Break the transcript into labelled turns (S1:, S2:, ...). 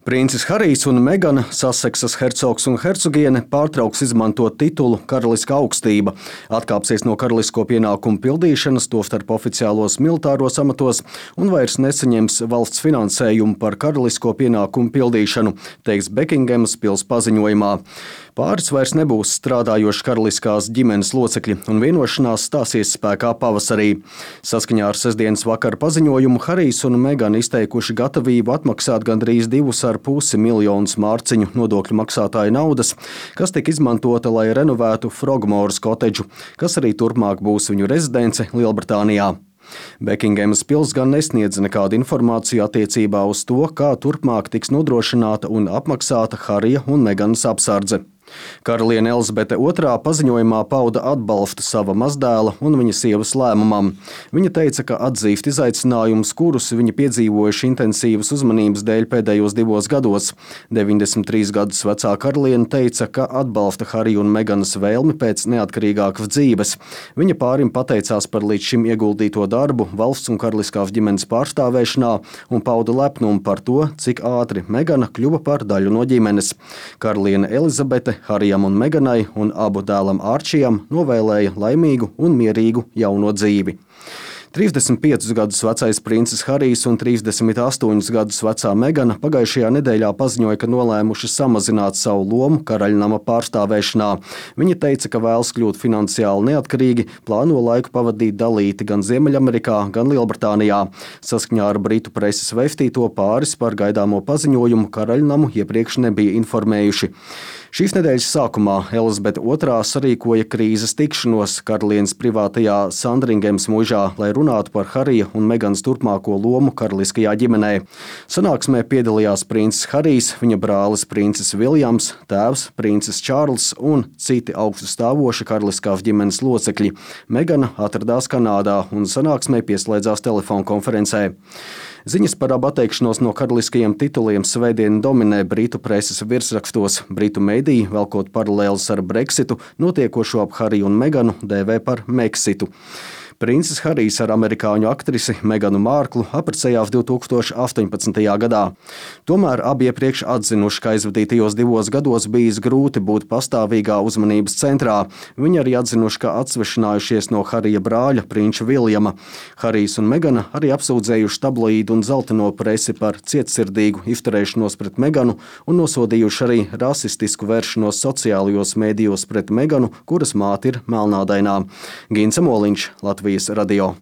S1: Princis Harijs un Megana, Saseksas hercogs un hercogiene, pārtrauks izmantot titulu Karaliskā augstība, atkāpsies no karalisko pienākumu pildīšanas, tostarp oficiālos militāros amatos, un vairs nesaņems valsts finansējumu par karalisko pienākumu pildīšanu, teiks Bekingemas pils paziņojumā. Pāris vairs nebūs strādājoši karaliskās ģimenes locekļi, un vienošanās stāsies spēkā pavasarī. Saskaņā ar sestdienas vakara paziņojumu Harijs un Megana izteikuši gatavību atmaksāt gandrīz 2,5 miljonus mārciņu nodokļu maksātāju naudas, kas tika izmantota, lai renovētu Frogmoras kotedžu, kas arī turpmāk būs viņu rezidence Lielbritānijā. Bekingemas pils gan nesniedz nekādu informāciju attiecībā uz to, kā turpmāk tiks nodrošināta un apmaksāta Harija un Meganas apsardze. Karaliene Elizabete II paziņojumā pauda atbalstu sava mazdēla un viņa sievas lēmumam. Viņa teica, ka atzīst izaicinājumus, kurus viņa piedzīvojuši intensīvas uzmanības dēļ pēdējos 2 gados. 93 gadus vecā karaliene teica, ka atbalsta Harija un Meganas vēlmi pēc neatkarīgākas dzīves. Viņa pārim pateicās par līdz šim ieguldīto darbu valsts un karaliskās ģimenes pārstāvēšanā un pauda lepnumu par to, cik ātri Megana kļuva par daļu no ģimenes. Karaliene Elizabete Harijam un Meganai un abu dēlam Arčijam novēlēja laimīgu un mierīgu jauno dzīvi. 35 gadus vecais princis Harijs un 38 gadus vecā Megana pagājušajā nedēļā paziņoja, ka nolēmuši samazināt savu lomu karaļnama pārstāvēšanā. Viņa teica, ka vēlas kļūt finansiāli neatkarīgi, plāno laiku pavadīt dalīti gan Ziemeļamerikā, gan Lielbritānijā. Saskaņā ar britu preses vēstīto pāris par gaidāmo paziņojumu karaļnamu iepriekš nebija informējuši. Šīs nedēļas sākumā Elizabete II sarīkoja krīzes tikšanos karalienes privātajā Sandringemas mūžā, lai runātu par Harija un Meganas turpmāko lomu karaliskajā ģimenē. Sanāksmē piedalījās princis Harijs, viņa brālis princis Viljams, tēvs princis Čārls un citi augstu stāvoši karaliskās ģimenes locekļi. Megana atradās Kanādā un sanāksmē pieslēdzās telefonkonferencē. Ziņas par abu atteikšanos no karaliskajiem tituliem svētdien dominē britu preses virsrakstos. Britu mediji, velkot paralēlus ar Brexitu, notiekošo ap Hariju un Meganu dēvē par Meksitu. Princis Harijs ar amerikāņu aktrisi Meganu Mārklu apprecējās 2018. gadā. Tomēr abi iepriekš atzinuši, ka aizvadītajos 2 gados bijis grūti būt pastāvīgā uzmanības centrā. Viņi arī atzinuši, ka atsvešinājušies no Harija brāļa prinča Viljama. Harijs un Megana arī apsūdzējuši tabloīdu un zeltaino presi par cietsirdīgu izturēšanos pret Meganu un nosodījuši arī rasistisku vēršanos sociālajos mēdījos pret Meganu, kuras māte ir melnādainā. Gints Moliņš, Latvijas radio.